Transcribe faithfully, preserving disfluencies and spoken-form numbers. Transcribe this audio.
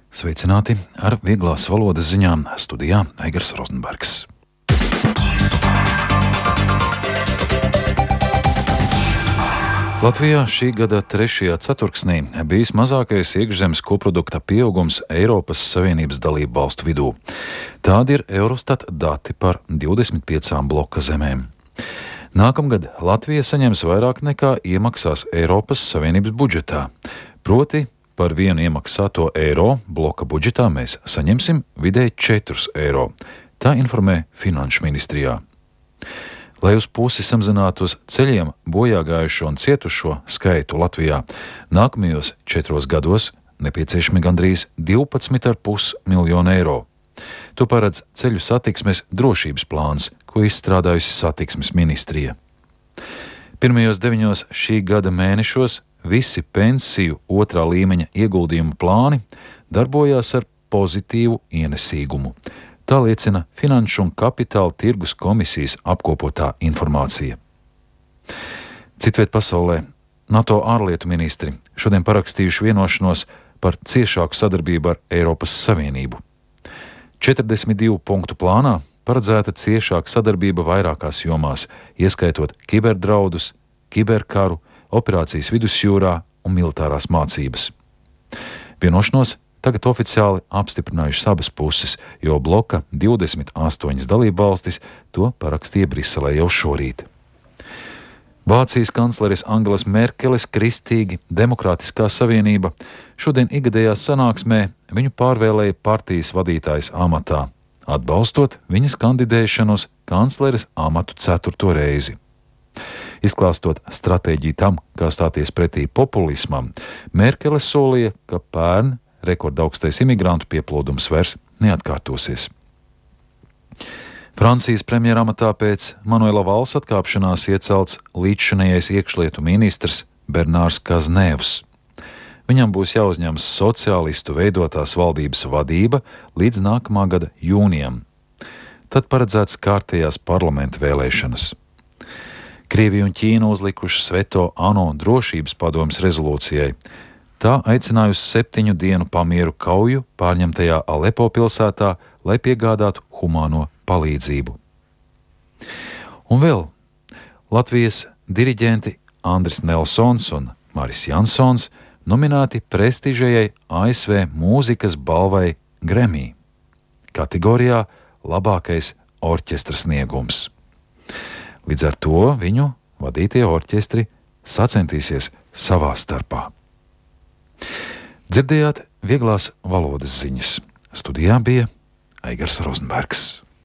Sveicināti ar vieglās valodas ziņām studijā Eigars Rozenbergs. Latvijā šī gada trešajā ceturksnī bijis mazākais iekšzemes koprodukta pieaugums Eiropas Savienības dalību valstu vidū. Tādi ir Eurostat dati par divdesmit piecām bloka zemēm. Nākamgad Latvija saņems vairāk nekā iemaksās Eiropas Savienības budžetā. Proti, par vienu iemaksāto eiro bloka budžetā mēs saņemsim vidēji četrus eiro. Tā informē Finanšu ministrijā. Lai uz pusi samazinātu uz ceļiem bojā gājušo un cietušo skaitu Latvijā, nākamajos četros gados nepieciešami gandrīz divpadsmit ar pus miljonu eiro. To paredz ceļu satiksmes drošības plāns, ko izstrādājusi satiksmes ministrija. Pirmajos deviņos šī gada mēnešos visi pensiju otrā līmeņa ieguldījumu plāni darbojās ar pozitīvu ienesīgumu. Tā liecina Finanšu un Kapitāla tirgus komisijas apkopotā informācija. Citviet pasaulē NATO ārlietu ministri šodien parakstījuši vienošanos par ciešāku sadarbību ar Eiropas Savienību. četrdesmit divu punktu plānā paredzēta ciešāka sadarbība vairākās jomās, ieskaitot kiberdraudus, kiberkaru, operācijas vidusjūrā un militārās mācības. Vienošanos tagad oficiāli apstiprinājušas abas puses, jo bloka divdesmit astoņas dalībvalstis to parakstīja Briselē jau šorīt. Vācijas kancleres Angelas Merkeles kristīgi Demokrātiskā savienība šodien ikgadējā sanāksmē viņu pārvēlēja partijas vadītājas amatā, atbalstot viņas kandidēšanu uz kancleres amatu ceturto reizi. Izklāstot stratēģiju tam, kā stāties pretī populismam, Merkele solīja, ka pērn rekordaugstais imigrantu pieplūdums vairs neatkārtosies. Francijas premjeramatā pēc Manuela Valsa atkāpšanās iecelts līdzšinējais iekšlietu ministrs Bernārs Kaznēvs. Viņam būs jāuzņemas sociālistu veidotās valdības vadība līdz nākamā gada jūnijam. Tad paredzēts kārtējās parlamenta vēlēšanas. Krievija un Ķīna uzlikušas veto ANO drošības padomes rezolūcijai. Tā aicinājusi septiņu dienu pamieru kauju pārņemtajā Alepo pilsētā, lai piegādātu humāno palīdzību. Un vēl Latvijas diriģenti Andris Nelsons un Maris Jansons nominēti prestižajai A S V mūzikas balvai Grammy kategorijā labākais orķestra sniegums. Līdz ar to viņu vadītie orķestri sacentīsies savā starpā. Dzirdējāt vieglās valodas ziņas. Studijā bija Eigars Rozenbergs.